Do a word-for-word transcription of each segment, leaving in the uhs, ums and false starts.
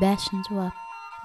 Bäşinji bap.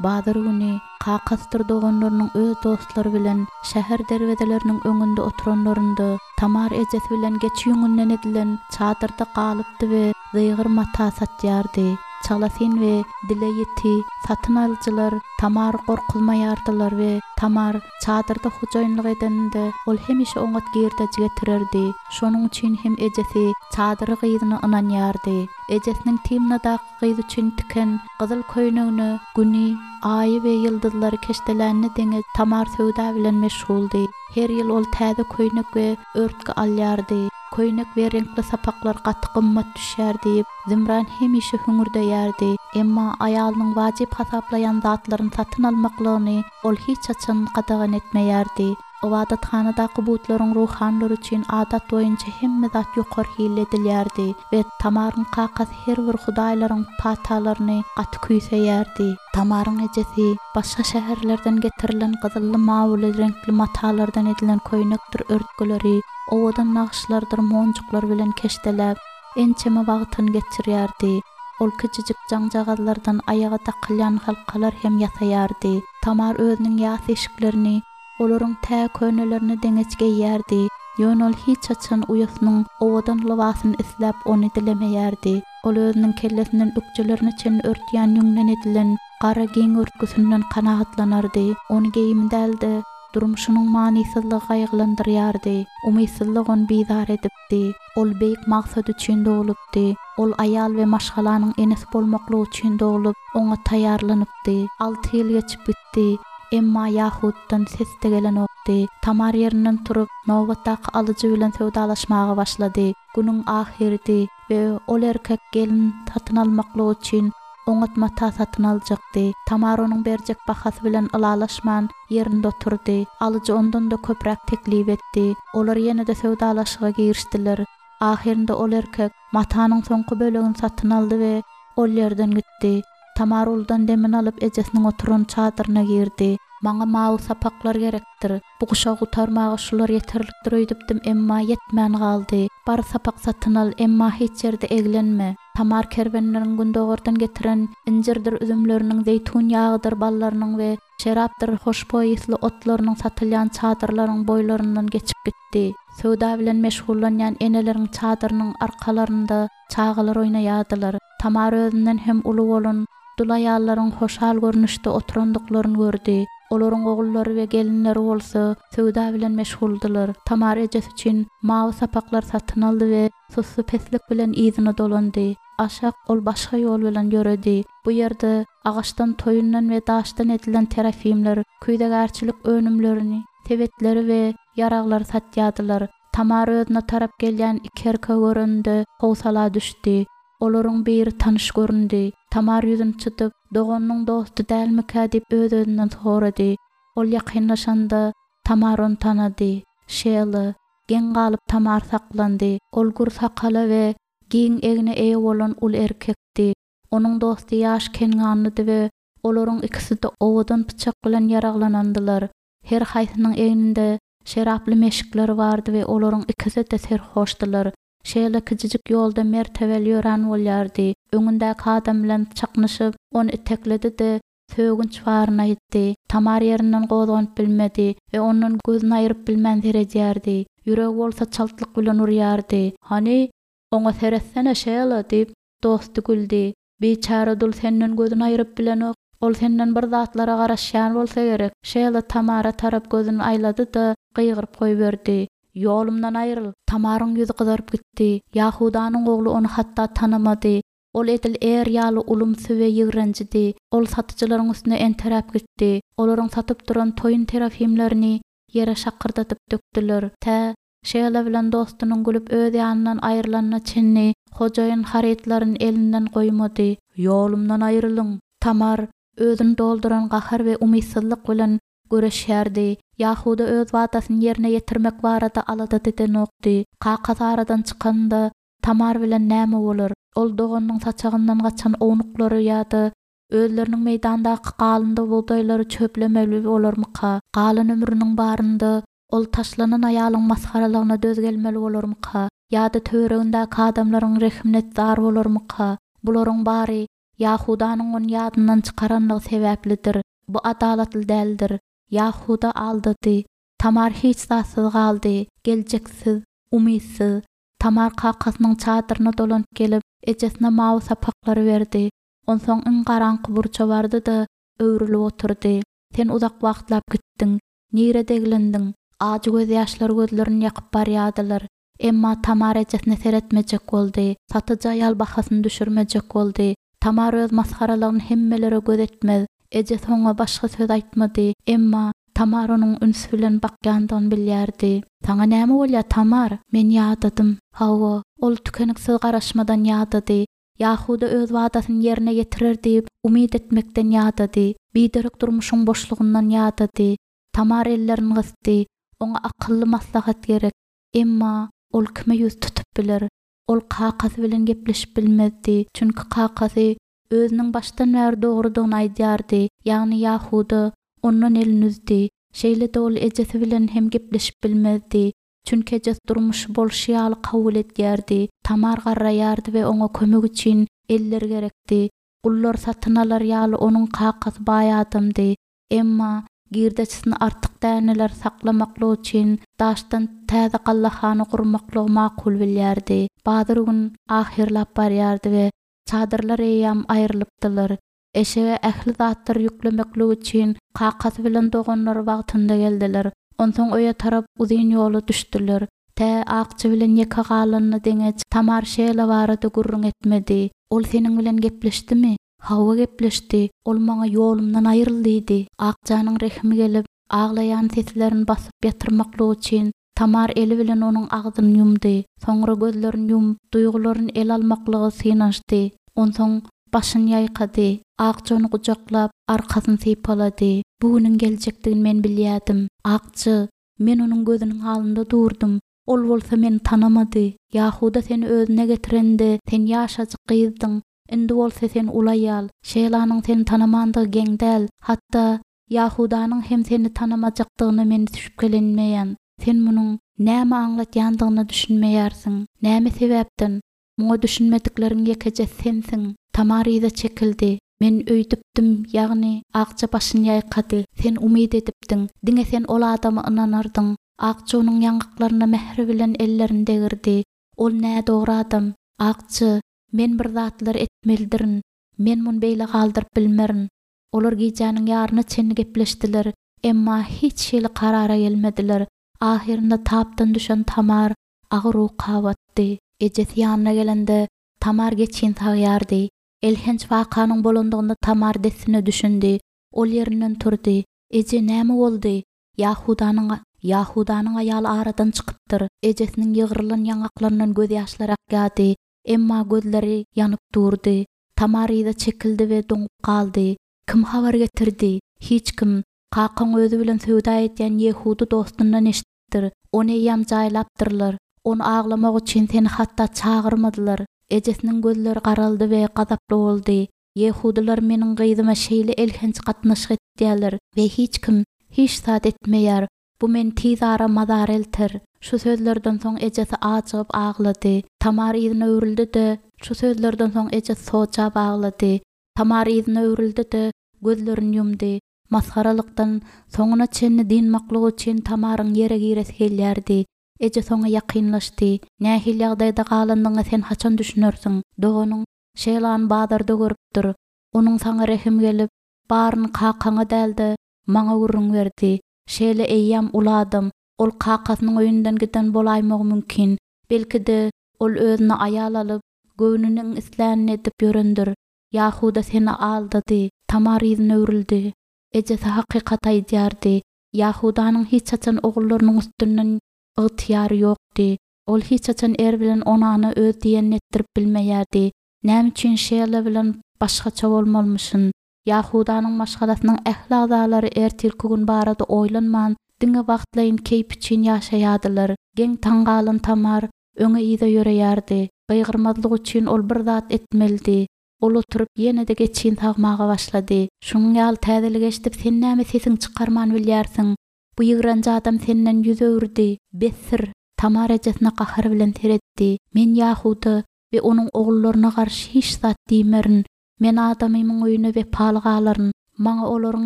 Bazar güni kakasydyr doganlarynyň öz dostlary bilen şäher derwezeleriniň öňünde oturanlarynda, Tamar ejesi bilen geçi ýüňünden edilen çadyrda galypdy we zygyr mata satýardy. Çalasyn we dile ýiti satyn alyjylar Tamary gorkuzmaýardylar we Tamar çadyrda hojaýynlyk edeninde, ol hemişe oňat girdeji getirerdi. Şonuň üçin hem ejesi çadyry gyzyna ynanýardy. Ejesiniň Timnadaky gyz üçin tiken gyzyl köýnegine Güni, Aýy we ýyldyzlary keşdelänine deňeç Tamar söwda bilen meşguldy. Her ýyl ol täze köýnek we örtgi alýardy. Köýnek we reňkli sapaklar gaty gymmat düşýär diýip, Zimran hemişe hüňürdeýärdi. Emma aýalynyň wajyp hasaplaýan zatlaryny satyn almaklygyny ol hiç haçan gadagan etmeýärdi. Ybadathanadaky butlaryň ruhanylary üçin adat boýunça hemme zat ýokary hilli edilýärdi we Tamaryň kakasy her bir hudaýlaryň patalaryny gaty küýseýärdi. Tamaryň ejesi başga şäherlerden getirilen gyzylly-mawuly reňkli matalardan edilen köýnekdir örtgüleri owadan nagyşlardyr monjuklar bilen keşdeläp, ençeme wagtyny geçirýärdi. Ol kiçijik jaňjagazlardan aýaga dakylýan halkalar hem ýasaýardy. Tamar özüniň ýas eşiklerini olaryň tä könelerine deňeç geýýärdi, ýöne ol hiç haçan uýasynyň owadan lybasyny isläp ony dilemeýärdi. Ol özüniň kellesinden ökjelerine çenli örtýän ýüňden edilen gara giň örtgüsinden kanagatlanardy. Ony geýimi däl-de, durmuşynyň manysyzlygy gaýgylandyrýardy. Umytsyzlyk ony bizar edipdi. Ol beýik maksat üçin doglupdy. Ol aýal we maşgalanyň enesi bolmaklyk üçin doglup, oňa taýýarlanypdy. Alty ýyl geçip gitdi. Emma Ýahuddan ses-de gelenokdy. Tamar ýerinden turup, nobatdaky alyjy bilen söwdalaşmaga başlady. Günüň ahyrydy we ol erkek gelin satyn almaklyk üçin oňat mata satyn aljakdy. Tamar onuň berjek bahasy bilen ylalaşman, ýerinde oturdy. Alyjy ondan-da köpräk teklip etdi. Olar ýene-de söwdalaşyga girişdiler. Ahyrynda ol erkek matanyň soňky bölegini satyn aldy we ol ýerden gitdi. Tamar uludan demini alyp ejesiniň oturan çadyryna girdi. Maňa mawy sapaklar gerekdir. Bu guşagy gutarmaga şular ýeterlikdir öýdüpdim, emma ýetmän galdy. Bar sapak satyn al, emma hiç ýerde eglenme. Tamar kerwenleriň gündogardan getiren injirdir üzümleriniň, zeýtun ýagydyr ballarynyň we şerapdyr hoşboý ysly otlarynyň satylýan çadyrlaryň boýlaryndan geçip gitdi. Söwda bilen meşgullanýan eneleriň çadyrynyň arkalarynda çagalar oýnaýardylar. Tamar özünden hem uly bolan dul aýallaryň hoşal görnüşde oturandyklaryny gördi. Olaryň ogullary we gelinleri bolsa söwda bilen meşguldylar. Tamar ejesi üçin mawy sapaklar satyn aldy we sussupeslik bilen yzyna dolandy. Aşak ol başga ýol bilen ýöredi. Bu ýerde agaçdan, toýundan we daşdan edilen terafimler, küýzegärçilik önümlerini, sebetleri we ýaraglary satýardylar. Tamar özüne tarap gelýän iki erkegi görende howsala düşdi. Olaryň biri tanyş göründi. Tamar ýüzüni çytyp, doganynyň dosty dälmikä diýip öz-özünden sorady. Ol ýakynlaşanda Tamar ony tanady. Şela. Geň galyp Tamar saklandy. Ol gür sakala we giň egne eýe bolan uly erkekdi. Onuň dosty ýaş kenganlydy we olaryň ikisi-de owadan pyçak bilen ýaraglanandylar. Her haýsynyň egninde şeraply meşikleri bardy we olaryň ikisi-de serhoşdylar. Şela kiçijik ýolda mertebeli ýörän bolýardy. Öňündäki adam bilen çaknyşyp, ony itekledi-de, sögünç baryny aýtdy. Tamar ýerinden gozganyp bilmedi we ondan gözüni aýryp bilmän seredýärdi. Ýüregi bolsa çaltlyk bilen urýardy. Hany, oňa seretsene, Şela, diýip, dosty güldi. Biçäre dul senden gözüni aýryp bilenok. Ol senden bir zatlara garaşýan bolsa gerek. Şela Tamara tarap gözüni aýlady-da, gygyryp goýberdi. Ýolumdan aýryl! Tamaryň ýüzi gyzaryp gitdi. Ýahudanyň ogly ony hatda tanamady. Ol edil är ýaly ulumsy we ýigrenjidi. Ol satyjylaryň üstüne enteräp gitdi. Olaryň satyp duran toýun terafimlerini ýere şakyrdadyp dökdüler. Tä Şela bilen dostunyň gülüp öz ýanyndan aýrylanyna çenli hojaýyn harytlaryny elinden goýmady. Ýolumdan aýrylyň! Tamar özüni dolduran gahar we umytsyzlyk bilen göreşýärdi. Ýahuda öz wadasyny ýerine ýetirmek barada alada edenokdy. Kakasy aradan çykanda Tamar bilen näme bolar? Ol doganynyň saçagyndan gaçan ownuklary ýa-da özleriniň meýdandaky galyndy bugdaýlary çöplemeli bolarmyka? Galan ömrüniň barynda ol taşlanan aýalyň masgaralygyna döz gelmeli bolarmyka? Ýa-da töweregindäki adamlaryň rehimine zar bolarmyka? Bularyň bary Ýahudanyň ony ýadyndan çykaranlygy sebäplidir. Bu adalatly däldir. Ýahuda aldady. Tamar hiç zatsyz galdy, geljeksiz, umytsyz. Tamar kakasynyň çadyryna dolanyp gelip, ejesine mawy sapaklary berdi. Onsoň iň garaňky burça bardy-da, öwrülip oturdy. Sen uzak wagtlap gitdiň. Nirede eglendiň? Ajy gözýaşlar gözlerini ýakyp barýardylar. Emma Tamar ejesine seretmejek boldy. Satyjy aýal bahasyny düşürmejek boldy. Tamar öz masgaralygyny hemmelere göz etmez. Ejesi oňa başga söz aýtmady. Emma Tamar onuň üns bilen bakýandygyny bilýärdi. Saňa näme bolýar, Tamar? Men ýadadym. Hawa, ol tükeniksiz garaşmadan ýadady. Ýahuda öz wadasyny ýerine ýetirer diýip, umyt etmekden ýadady. Biderek durmuşyň boşlugyndan ýadady. Tamar ellerini gysdy. Oňa akylly maslahat gerek. Emma ol kime ýüz tutup biler? Ol kakasy bilen gepleşip bilmezdi, çünki kakasy özüniň başdan bäri dogrudygyny aýdýardy, ýagny Ýahuda ondan elini üzdi. Şeýle-de ol ejesi bilen hem gepleşip bilmezdi, çünki ejesi durmuşy bolşy ýaly kabul edýärdi. Tamar garraýardy we oňa kömek üçin eller gerekdi. Gullar satyn alar ýaly onuň kakasy baý adamdy. Emma girdejisini artyk däneler saklamaklyk üçin daşdan täze gallahana gurmaklygy makul bilýärdi. Bazar gün ahyrlap barýardy we çadyrlar eýýäm aýrylypdylar. Eşege ähli zatlary ýüklemeklik üçin kakasy bilen doganlary wagtynda geldiler. Onsoň öýe tarap uzyn ýola düşdüler. Tä Akja bilen ýeke galanyna deňeç Tamar Şela barada gürrüň etmedi. Ol seniň bilen gepleşdimi? Hawa gepleşdi. Ol maňa ýolumdan aýryl diýdi. Akjanyň rehimi gelip, aglaýan seslerini basyp ýatyrmaklyk üçin Tamar eli bilen onuň agzyny ýumdy. Soňra gözlerini ýumup, duýgularyny ele almaklyga synanyşdy. Onsoň başyny ýaýkady. Akja ony gujaklap, arkasyny sypalady. Bu günüň geljekdigini men bilýärdim. Akja, men onuň gözüniň alnynda durdum. Ol bolsa meni tanamady. Ýahuda seni özüne getirende, sen ýaşajyk gyzdyň. Indi bolsa sen uly aýal. Şelanyň seni tanamandygy geň däl. Hatda Ýahudanyň hem seni tanamajakdygyna men şübhelenmeýän. Sen munuň näme aňlatýandygyna düşünmeýärsiň. Näme sebäpden? Muňa düşünmedikleriň ýekeje sensiň. Tamar yza çekildi. Men öýdüpdim, ýagny Akja başyny ýaýkady. Sen umyt edipdiň. Diňe sen ol adama ynanardyň. Akja onuň ýaňaklaryna mähir bilen ellerini degirdi. Ol nädogry adam. Akja, men bir zatlar etmelidirin. Men muny beýle galdyryp bilmerin. Olar gijäniň ýaryna çenli gepleşdiler, emma hiç hili karara gelmediler. Ahyrynda tapdan düşen Tamar agyr uka batdy. Ejesi ýanyna gelende Tamar geçin sagýardy. Elhenç wakanyň bolandygyna Tamar dessine düşündi. Ol ýerinden turdy. Eje näme boldy? Ýahudanyň Ýahudanyň aýaly aradan çykypdyr. Ejesiniň ýygrylan ýaňaklaryndan gözýaşlar akýardy. Emma gözleri ýanyp durdy. Tamar yza çekildi we doňup galdy. Kim habar getirdi? Hiç kim. Kakaň özi bilen söwda edýän Ýehudy dostundan eşitdir. Ony eýýäm jaýlapdyrlar. Ony aglamak üçin seni hatda çagyrmadylar. Ejesiniň gözleri garaldy we gazaply boldy. Ýehudylar meniň gyzyma şeýle elhenç gatnaşyk etýärler we hiç kim hiç zat etmeýär. Bu meni tiz ara mazara elter. Şu sözlerden soň ejesi ajygyp aglady. Tamar yzyna öwrüldi-de, şu sözlerden soň ejesi sojap aglady. Tamar yzyna öwrüldi-de, gözlerini ýumdy. Masgaralykdan soňuna çenli dynmaklyk üçin Tamaryň ýere giresi gelýärdi. Ejesi oňa ýakynlaşdy. Nähili ýagdaýda galandygyňa sen haçan düşünersiň? Doganyň Şelany bazarda görüpdir. Onuň saňa rehim gelip, baryny kakaňa däl-de, maňa gürrüň berdi. Şela eýýäm uly adam. Ol kakasynyň öýünden giden bolaýmagy mümkin. Belki-de, ol özüne aýal alyp, göwnüniň islänini edip ýörendir. Ýahuda seni aldady. Tamar yzyna öwrüldi. Ejesi hakykat aýdýardy. Ýahudanyň hiç haçan ogullarynyň üstünden ygtyýary ýokdy. Ol hiç haçan Er bilen Onana öz diýenini etdirip bilmeýärdi. Näme üçin Şela bilen başgaça bolmalymyşyn? Ýahudanyň maşgalasynyň ähli agzalary ertirki gün barada oýlanman, diňe wagtlaýyn keýp üçin ýaşaýardylar. Geň-taň galan Tamar öňe yza ýöreýärdi. Gygyrmazlyk üçin ol bir zat etmelidi. Ol oturyp ýene-de geçin sagmaga başlady. Şunuň ýaly täzelik eşidip sen näme sesiňi çykarman bilýärsiň? Bu ýigrenji adam senden ýüz öwürdi. Bessir! Tamar ejesine gahar bilen seretdi. Men Ýahuda we onuň ogullaryna garşy hiç zat diýmerin. Men adamymyň öýüne wepaly galaryn. Maňa olaryň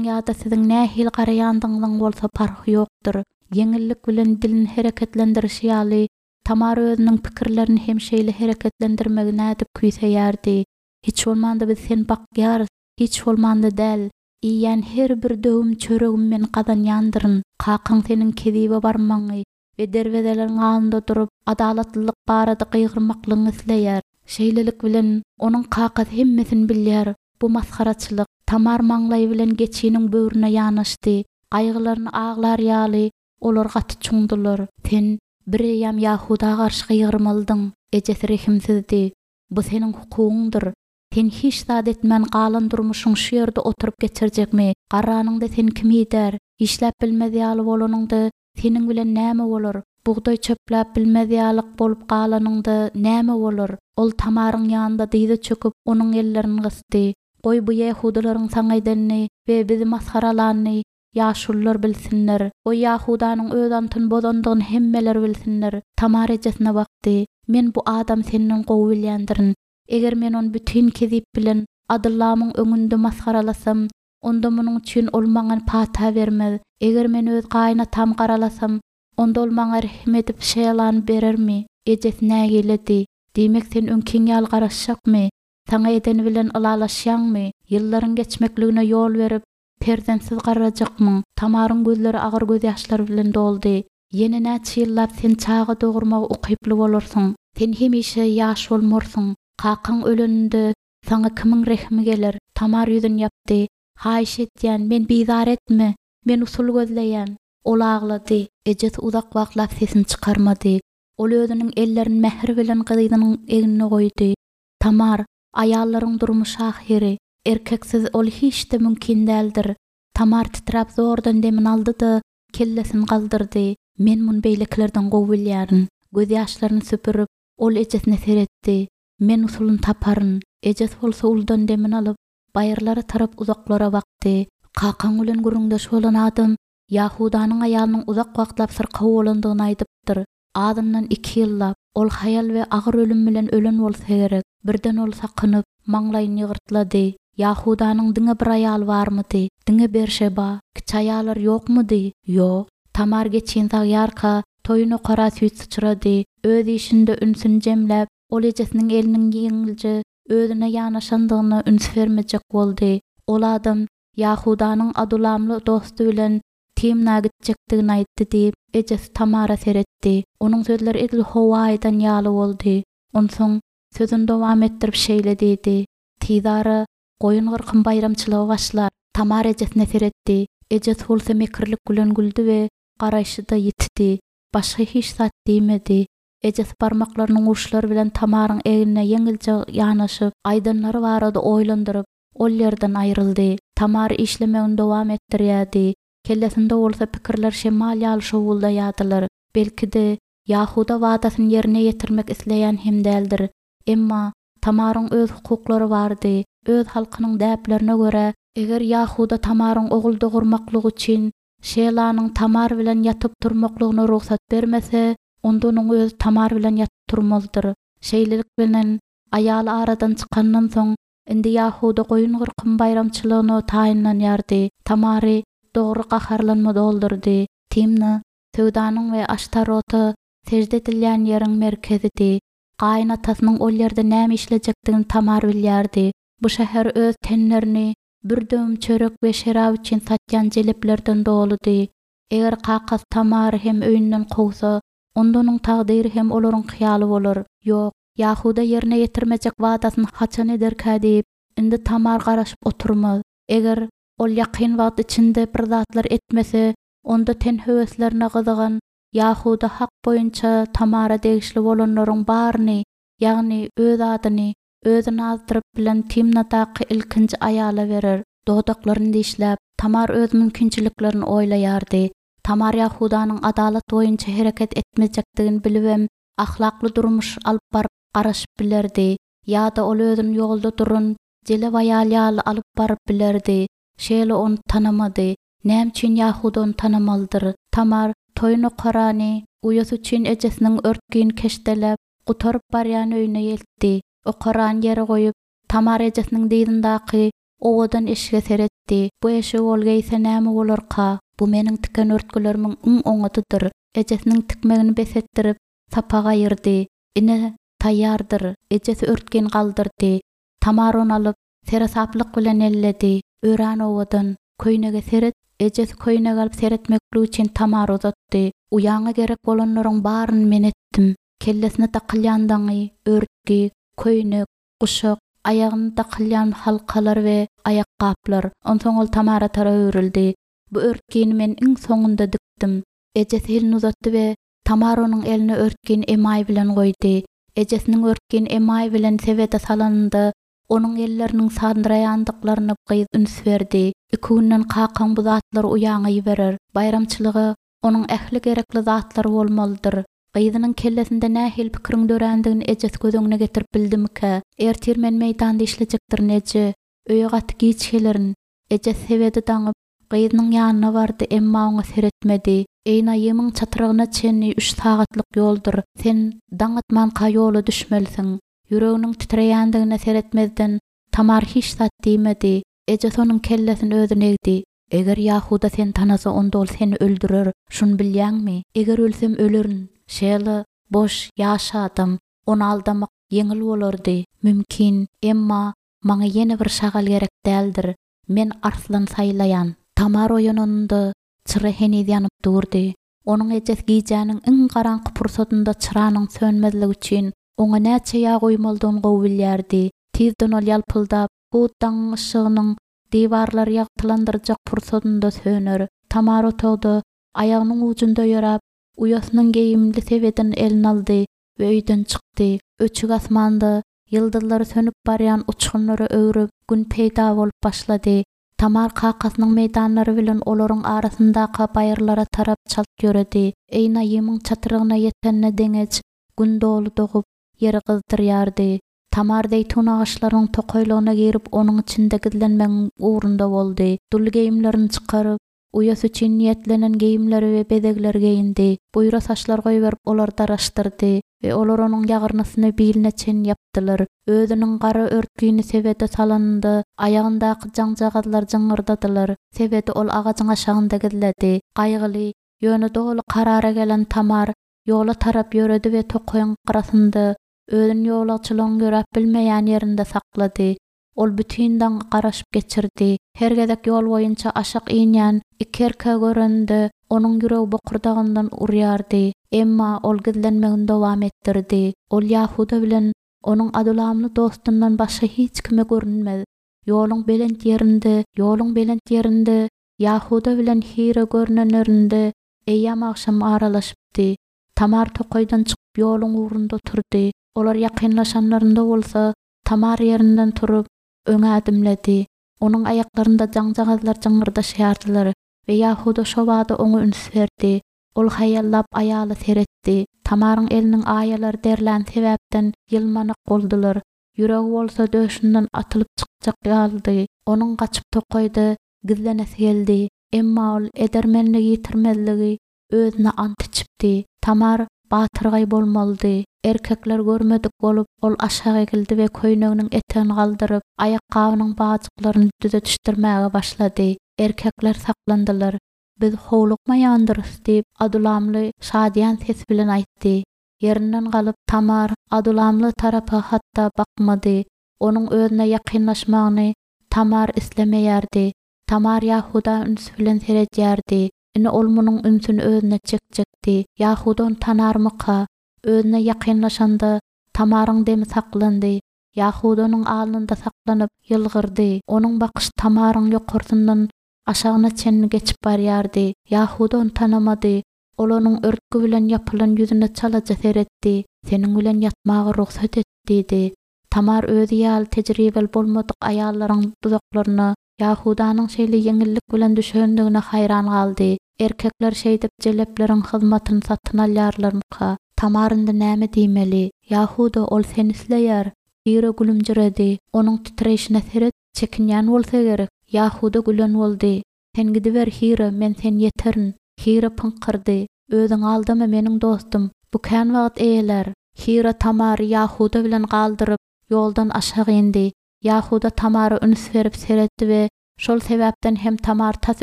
ýa-da siziň nähili garaýandygyňyzyň bolsa parhy ýokdur. Ýeňillik bilen dilini hereketlendirişi ýaly, Tamar özüniň pikirlerini hem şeýle hereketlendirmegi nädip küýseýärdi. Hiç bolmanda biz seni bakýarys, hiç bolmanda däl. Iýýän her bir döwüm çöregimi men gazanýandyryn. Kakaň seniň kezibe barmagyňy we derwezeleriň alnynda durup, adalatlylyk barada gygyrmaklygyňy isleýär. Şeýlelik bilen, onuň kakasy hemmesini bilýär. Bu masgaraçylyk. Tamar maňlaýy bilen geçiniň böwrüne ýanaşdy. Gaýgylaryny aglar ýaly, olar gaty çuňdular. Sen bireýýäm Ýahuda garşy gygyrmalydyň. Ejesi rehimsizdi. Bu seniň hukugyňdyr. Sen hiç zat etmän galan durmuşyňy şu ýerde oturyp geçirjekmi? Garranyňda seni kim idär? Işläp bilmez ýaly bolanyňda seniň bilen näme bolar? Bugdaý çöpläp bilmez ýalyk bolup galanyňda näme bolar? Ol Tamaryň ýanynda dyza çöküp, onuň ellerini gysdy. Goý bu ýehudylaryň saňa edenini we bizi masgaralanyny ýaşulular bilsinler. Goý Ýahudanyň öz antyny bozandygyny hemmeler bilsinler. Tamar ejesine bakdy. Men bu adamy senden gowy bilýändirin. Eger men ony bütin kezip bilen Adyllamyň öňünde masgaralasam, onda munuň üçin ol maňa pata bermez. Eger men öz gaýynatamy garalasam, onda ol maňa rehim edip Şelany berermi? Ejesi nägiledi. Diýmek sen öňkiň ýaly garaşjakmy? Saňa edeni bilen ylalaşýaňmy? Ýyllaryň geçmekligine ýol berip, perzentsiz garrajakmyň? Tamaryň gözleri agyr gözýaşlar bilen doldy. Ýene näçe ýyllap sen çaga dogurmaga ukyply bolarsyň? Sen hemişe ýaş bolmarsyň. Kakaň öleninde saňa kimiň rehimi geler? Tamar ýüzüni ýapdy. Haýyş edýän, meni bizar etme. Men usul gözleýän. Ol aglady. Ejesi uzak wagtlap sesini çykarmady. Ol özüniň ellerini mähir bilen gyzynyň egnine goýdy. Tamar, aýallaryň durmuşy ahyry. Erkeksiz ol hiç-de mümkin däldir. Tamar titräp zordan demini aldy-da, kellesini galdyrdy. Men muny beýlekilerden gowy bilýärin. Gözýaşlaryny süpürip, ol ejesine seretdi. Men usulyny taparyn. Ejesi bolsa uludan demini alyp, baýyrlara tarap uzaklara bakdy. Kakaň bilen gürrüňdeş bolan adam Ýahudanyň aýalynyň uzak wagtlap syrkaw bolandygyny aýdypdyr. Azyndan iki ýyllap. Ol haýal we agyr ölüm bilen ölen bolsa gerek. Birden ol sakynyp, maňlaýyny ýygyrtlady. Ýahudanyň diňe bir aýaly barmydy? Diňe Berşeba. Kiçi aýallar ýokmudy? Ýok. Tamar geçini sagýarka, toýun okara süýt syçrady. Öz işinde ünsüni jemläp, ol ejesiniň eliniň ýeňilje özüne ýanaşandygyna üns bermejek boldy. Ol adam Ýahudanyň Adulamly dosty bilen Timna gitjekdigini aýtdy diýip, ejesi Tamara seretdi. Onuň sözleri edil howa aýdan ýaly boldy. Onsoň sözüni dowam etdirip şeýle diýdi: Tizara goýun gyrkym baýramçylygy başlar. Tamar ejesine seretdi. Ejesi bolsa mekirlik bilen güldi we garaýşy-da ýitdi. Başga hiç zat diýmedi. Ejesi barmaklarynyň uçlary bilen Tamaryň egnine ýeňilje ýanaşyp, aýdanlary barada oýlandyryp, ol ýerden aýryldy. Tamar işlemegini dowam etdirýärdi. Kellesinde bolsa pikirler şemal ýaly şowuldaýardylar. Belki-de, Ýahuda wadasyny ýerine ýetirmek isleýän hem däldir. Emma Tamaryň öz hukuklary bardy. Öz halkynyň däplerine görä, eger Ýahuda Tamaryň ogul dogurmaklygy üçin Şelanyň Tamar bilen ýatyp turmaklygyna rugsat bermese, onda onuň özi Tamar bilen ýatyp turmalydyr. Şeýlelik bilen, aýaly aradan çykandan soň, indi Ýahuda goýun gyrkym baýramçylygyna taýynlanýardy. Tamary dogry gaharlanma doldurdy. Timna söwdanyň we Aştarota sežde edilýän ýeriň merkezidi. Gaýynatasynyň ol ýerde näme işlejekdigini Tamar bilýärdi. Bu şäher öz tenlerini bir döwüm çörek we şerap üçin satýan jeleplerden doludy. Eger kakasy Tamary hem öýünden kowsa, onda onuň takdyry hem olaryňky ýaly bolar. Ýok, Ýahuda ýerine ýetirmejek wadasyny haçan ederkä diýip, indi Tamar garaşyp oturmaz. Eger ol ýakyn wagt içinde bir zatlar etmese, onda ten höweslerine gyzygan Ýahuda hak boýunça Tamara degişli bolanlaryň baryny, ýagny öz adyny, özüni azdyryp bilen Timnadaky ilkinji aýala berer. Dodaklaryny dişläp, Tamar öz mümkinçiliklerini oýlaýardy. Tamar Ýahudanyň adalat boýunça hereket etmejekdigini bilibem, ahlakly durmuş alyp baryp garaşyp bilerdi. Ýa-da ol özüni ýolda duran jelep aýal ýaly alyp baryp bilerdi. Şeýle ony tanamady. Näme üçin Ýahuda ony tanamalydyr? Tamar toýun okarany uýasy üçin ejesiniň örtgüni keşdeläp, gutaryp barýan öýüne eltdi. Okarany ýere goýup, Tamar ejesiniň dyzyndaky owadan eşige seretdi. Bu eşigi ol geýse näme bolarka? Bu meniň tiken örtgülerimiň iň oňadydyr. Ejesiniň tikmegini bes etdirip, sapagy aýyrdy. Ine, taýýardyr. Ejesi örtgini galdyrdy. Tamar ony alyp, seresaplyk bilen elledi. Örän owadan. Köýnege seret. Ejesi köýnegi alyp seretmeklik üçin Tamara uzatdy. Uýaňa gerek bolanlaryň baryny men etdim. Kellesine dakylýan daňy, örtgi, köýnek, guşak, aýagyna dakylýan halkalar we aýakgaplar. Onsoň ol Tamara tarap öwrüldi. Bu örtgini men iň soňunda dikdim. Ejesi elini uzatdy we Tamar onuň eline örtgini emaý bilen goýdy. Ejesiniň örtgini emaý bilen sebede salanynda onuň elleriniň sandyraýandyklaryna gyz üns berdi. Iki günden kakaň bu zatlary uýaňa iberer. Baýramçylyga onuň ähli gerekli zatlary bolmalydyr. Gyzynyň kellesinde nähili pikiriň dörändigini ejesi göz öňüne getirip bildimikä? Ertir men meýdanda işlejekdirin eje. Öýe gaty giç gelerin. Ejesi sebedi daňyp, gyzynyň ýanyna bardy, emma oňa seretmedi. Eýnaýymyň çatrygyna çenli üç sagatlyk ýoldur. Sen daň atmanka ýola düşmelisiň. Ýüreginiň titreýändigine seretmezden Tamar hiç zat diýmedi. Ejesi onuň kellesini özüne egdi. Eger Ýahuda seni tanasa, onda ol seni öldürer. Şuny bilýäňmi? Eger ölsem ölerin. Şela boş, ýaş adam. Ony aldamak ýeňil bolardy. Mümkin, emma maňa ýene bir şagal gerek däldir. Men arslan saýlaýan. Tamar oýananynda çyra heniz ýanyp durdy. Onuň ejesi gijäniň iň garaňky pursadynda çyranyň sönmezligi üçin oňa näçe ýag goýmalydygyny gowy bilýärdi. Tizden ol ýalpyldap, hut daňyň yşygynyň diwarlary ýagtylandyrjak pursadynda söner. Tamar otagda aýagynyň ujunda ýöräp, uýasynyň geýimli sebedini eline aldy we öýden çykdy. Öçük asmanda ýyldyzlary sönüp barýan uçgunlara öwrüp, gün peýda bolup başlady. Tamar kakasynyň meýdanlary bilen olaryň arasyndaky baýyrlara tarap çalt ýöredi. Eýnaýymyň çatrygyna ýetende deňeç gün doly dogup, ýeri gyzdyrýardy. Tamar zeýtun agaçlarynyň tokaýlygyna girip, onuň içinde gizlenmegiň ugrunda boldy. Dul geýimlerini çykaryp, uýasy üçin niýetlenen geýimleri we bezegleri geýindi. Buýra saçlar goýberip, olary daraşdyrdy we olar onuň ýagyrnysyny biline çenli ýapdylar. Özüniň gara örtgini sebede salanynda aýagyndaky jaňjagazlar jyňňyrdadylar. Sebedi ol agajyň aşagynda gizledi. Gaýgyly, ýöne doly karara gelen Tamar ýola tarap ýöredi we tokaýyň gyrasynda özüni ýolagçylygyň ýöräp bilmeýän ýerinde saklady. Ol bütin daňy garaşyp geçirdi. Her gezek ýol boýunça aşak inýän iki erkegi görende onuň ýüregi bokurdagyndan urýardy. Emma ol gizlenmegini dowam etdirdi. Ol Ýahuda bilen onuň adulamly dostundan başga hiç kime görünmez. Ýoluň belent ýerinde, ýoluň belent ýerinde Ýahuda bilen Hira görünenlerinde eýýäm agşam aralaşypdy. Tamar tokaýdan çykyp ýoluň ugrunda oturdy. Olar ýakynlaşanlarynda bolsa Tamar ýerinden turup öňe ädimledi. Onuň aýaklarynda jaňjagazlar jyňňyrdaşýardylar we Ýahuda şo bada oňa üns berdi. Ol haýallap aýaly seretdi. Tamaryň eliniň aýalary derlän sebäpden ýylmanak boldular. Ýüregi bolsa döşünden atylyp çykjak ýalydy. Onuň gaçyp tokaýda gizlenesi geldi. Emma ol edermenligi ýitirmezligi özüne ant içipdi. Tamar batyrgaý bolmalydy. Erkekler görmedik bolup, ol aşak egildi we köýneginiň etegini galdyryp, aýakgabynyň bajyklaryny düzetişdirmäge başlady. Erkekler saklandylar. Biz howlukmaýandyrys diýip, Adulamly şadyýan ses bilen aýtdy. Ýerinden galyp Tamar Adulamly tarapa hatda bakmady. Onuň özüne ýakynlaşmagyny Tamar islemeýärdi. Tamar Ýahuda üns bilen seredýärdi. Ine ol munuň ünsüni özüne çekjekdi. Ýahuda ony tanarmyka? Özüne ýakynlaşanda Tamaryň demi saklandy. Ýahudanyň alnynda saklanyp ýylgyrdy. Onuň bakyşy Tamaryň ýokarsyndan aşagyna çenli geçip barýardy. Ýahuda ony tanamady. Ol onuň örtgi bilen ýapylan ýüzüne çalaja seretdi. Seniň bilen ýatmaga rugsat et diýdi. Tamar özi ýaly tejribeli bolmadyk aýallaryň duzaklaryna Ýahudanyň şeýle ýeňillik bilen düşendigine haýran galdy. Erkekler şeýdip jelepleriň hyzmatyny satyn alýarlarmyka? Tamar indi näme diýmeli? Ýahuda ol seni isleýär. Hira gülümjiredi. Onuň titreýşine seret, çekinýän bolsa gerek. Ýahuda gülen boldy. Sen gidiber Hira, men sen ýeterin. Hira pyňkyrdy. Özüň aldama meniň dostum. Bu kän wagt eýeler. Hira Tamary Ýahuda bilen galdyryp, ýoldan aşak indi. Ýahuda Tamara üns berip seretdi we şol sebäpden hem Tamar tas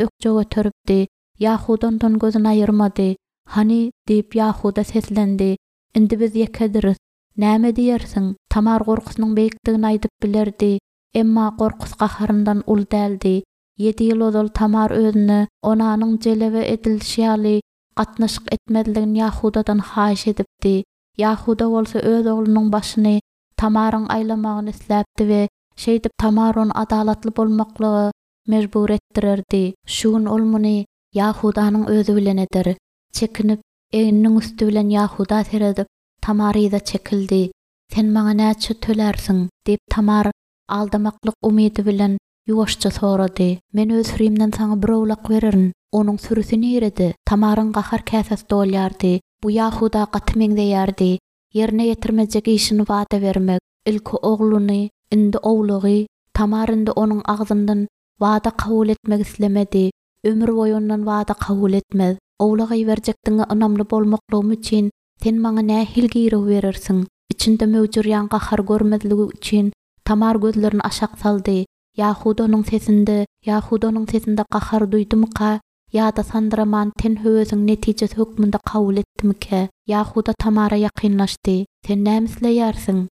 ökje göteripdi. Ýahuda ondan gözüni aýyrmady. Hany, diýip, Ýahuda seslendi. Indi biz ýekediris. Näme diýersiň? Tamar gorkusynyň beýikdigini aýdyp bilerdi. Emma gorkusy gaharyndan uly däldi. Ýedi ýyl ozal Tamar özüne Onanyň jelebe edilişi ýaly gatnaşyk etmezligini Ýahudadan haýyş edipdi. Ýahuda bolsa öz oglunyň başyny Tamaryň aýlamagyny isläpdi we şeýdip Tamar ony adalatly bolmaklyga mejbur etdirerdi. Şu gün ol muny Ýahudanyň özi bilen eder. Çekinip, egniniň üsti bilen Ýahuda seredip, Tamar yza çekildi. Sen maňa näçe tölärsiň? diýip, Tamar aldamaklyk umydy bilen ýuwaşja sorady. Men öz sürimden saňa bir owlak bererin. Onuň sürüsi nirede? Tamaryň gahar käsesi dolýardy. Bu Ýahuda gaty meňzeýärdi. Ýerine ýetirmejek işini wada bermek. Ilki ogluny, indi owlagy. Tamar indi onuň agzyndan wada kabul etmek islemedi. Ömür boýy ondan wada kabul etmez. Owlak iberjekdigiňe ynamly bolmaklygym üçin sen maňa nähili girew berersiň? Içinde möwjürýän gahary görmezligi üçin Tamar gözlerini aşak saldy. Ýahuda onuň sesinde, Ýahuda onuň sesinde gahary duýdumyka ýa-da sandyraman ten höwesiň netijesi hökmünde kabul etdimikä? Ýahuda Tamara ýakynlaşdy. Sen näme isleýärsiň?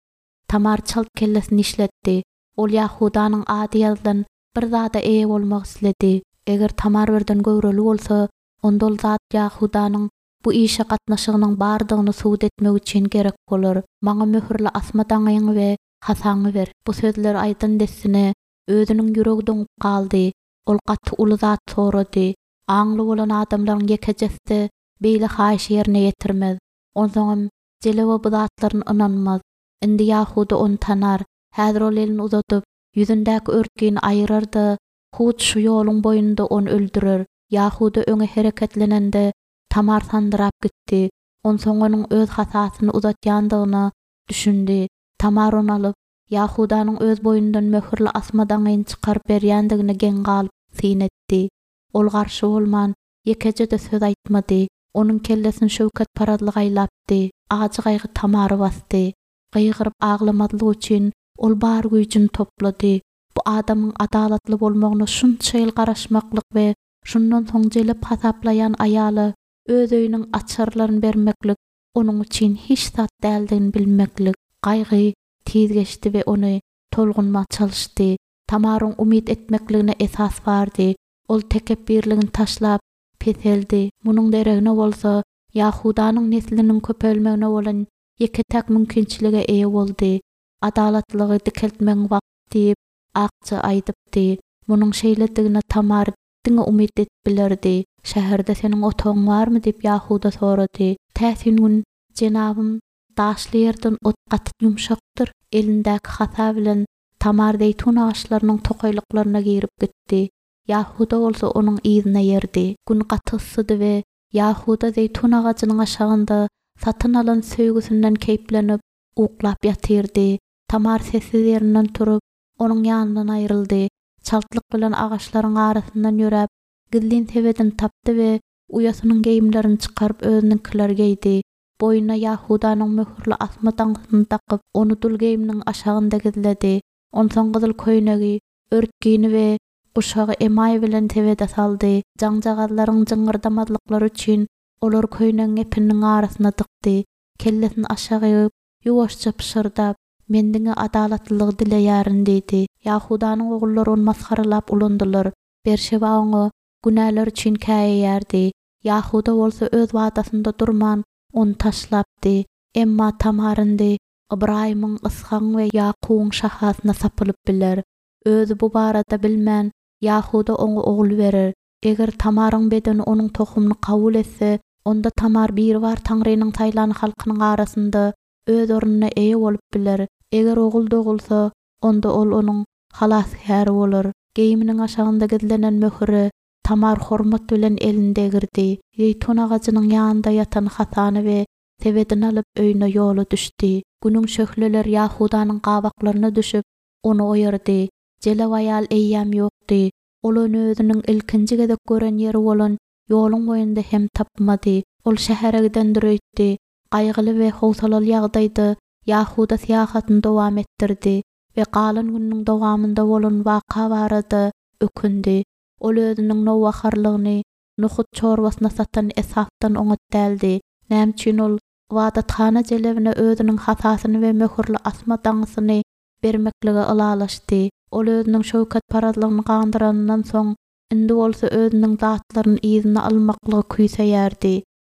Tamar çalt kellesini işletdi. Ol Ýahudanyň ady ýazylan bir zada eýe bolmak isledi. Eger Tamar birden göwreli bolsa, onda ol zat Ýahudanyň bu işe gatnaşygynyň bardygyny subut etmek üçin gerek bolar. Maňa möhürli asma daňyňy we hasaňy ber. Bu sözleri aýdan dessine özüniň ýüregi doňup galdy. Ol gaty uly zat sorady. Aňly bolan adamlaryň ýekejesi-de beýle haýyşy ýerine ýetirmez. Onsoňam Jelewa bu zatlaryny ynanmaz. Indi Ýahuda ony tanar. Häzir ol elini uzadyp, ýüzündäki örtgini aýyrar-da, hut şu ýoluň boýunda ony öldürer. Ýahuda öňe hereketlenende, Tamar sandyrap gitdi. Onsoň onuň öz hasasyny uzatýandygyna düşündi. Tamar ony alyp, Ýahudanyň öz boýnundan möhürli asma daňyny çykaryp berýändigine geň galyp syn etdi. Ol garşy bolman, ýekeje-de söz aýtmady. Onuň kellesini şöwketparazlyk aýlapdy. Ajy gaýgy Tamary basdy. Gygyryp aglamazlyk üçin ol bar güýjüni toplady. Bu adamyň adalatly bolmagyna şunça ýyl garaşmaklyk we şundan soň jelep hasaplaýan aýala öz öýüniň açarlaryny bermeklik onuň üçin hiç zat däldigini bilmeklik. Gaýgy tiz geçdi we ony tolgunma çalyşdy. Tamaryň umyt etmekligine esas bardy. Ol tekepbirligini taşlap, peseldi. Munuň deregine bolsa Ýahudanyň nesliniň köpelmegine bolan ýeke-täk mümkinçilige eýe boldy. Adalatlygy dikeltmegiň wagty diýip, Akja aýdypdy. Munuň şeýledigine Tamar diňe umyt edip bilerdi. Şäherde seniň otagyň barmy diýip Ýahuda sorady. Täsin gün jenabym daşly ýerden ot gaty ýumşakdyr. Elindäki hasa bilen Tamar zeýtun agaçlarynyň tokaýlyklaryna girip gitdi. Ýahuda bolsa onuň yzyna ýerdi. Gün gaty yssydy we Ýahuda zeýtun agajynyň aşagynda satyn alan söýgüsinden keýplenip, uklap ýatyrdy. Tamar sessiz ýerinden turup, onuň ýanyndan aýryldy. Çaltlyk bilen agaçlaryň arasyndan ýöräp, gizlin sebedini tapdy we uýasynyň geýimlerini çykaryp özüniňkileri geýdi. Boýnuna Ýahudanyň möhürli asma daňysyny dakyp, ony dul geýiminiň aşagynda gizledi. Onsoň gyzyl köýnegi, örtgini we guşagy emaý bilen sebede saldy. Jaňjagazlaryň jyňňyrdamazlyklary üçin olary köýnegiň epininiň arasyna dykdy. Kellesini aşak egip, ýuwaşja pyşyrdap, Men diňe adalatlylygy dileýärin diýdi. Ýahudanyň ogullary ony masgaralap ulandylar. Berşeba oňa günäleri üçin käýeýärdi. Ýahuda bolsa öz wadasynda durman, ony taşlapdy. Emma Tamar indi Ybraýymyň, Yshagyň we Ýakubyň şahasyna sapylyp biler. Özi bu barada bilmän, Ýahuda oňa ogul berer. Eger Tamaryň bedeni onuň tohumyny kabul etse, onda Tamar Biribar Taňrynyň saýlan halkynyň arasynda öz ornuna eýe bolup biler. Eger ogul dogulsa, onda ol onuň halasgäri bolar. Geýiminiň aşagynda gizlenen möhüre Tamar hormat bilen elini degirdi. Zeýtun agajynyň ýanynda ýatan hasany we sebedini alyp öýüne ýola düşdi. Günüň şöhleleri Ýahudanyň gabaklaryna düşüp, ony oýardy. Jelep aýal eýýäm ýokdy. Ol ony özüniň ilkinji gezek gören ýeri bolan ýoluň boýunda hem tapmady. Ol şähere gidendir öýtdi. Gaýgyly we howsalaly ýagdaýda Ýahuda syýahatyny dowam etdirdi. we galan gününiň dowamynda bolan waka barada ökündi. Ol özüniň nowbaharlygyny nohut çorbasyna satan Esapdan oňat däldi. Näme üçin ol ybadathana jelebine özüniň hasasyny we möhürli asma daňysyny bermeklige ylalaşdy. Ol özüniň şöwketparazlygyny gandyranyndan soň, indi bolsa özüniň zatlaryny yzyna almaklygy küýseýärdi.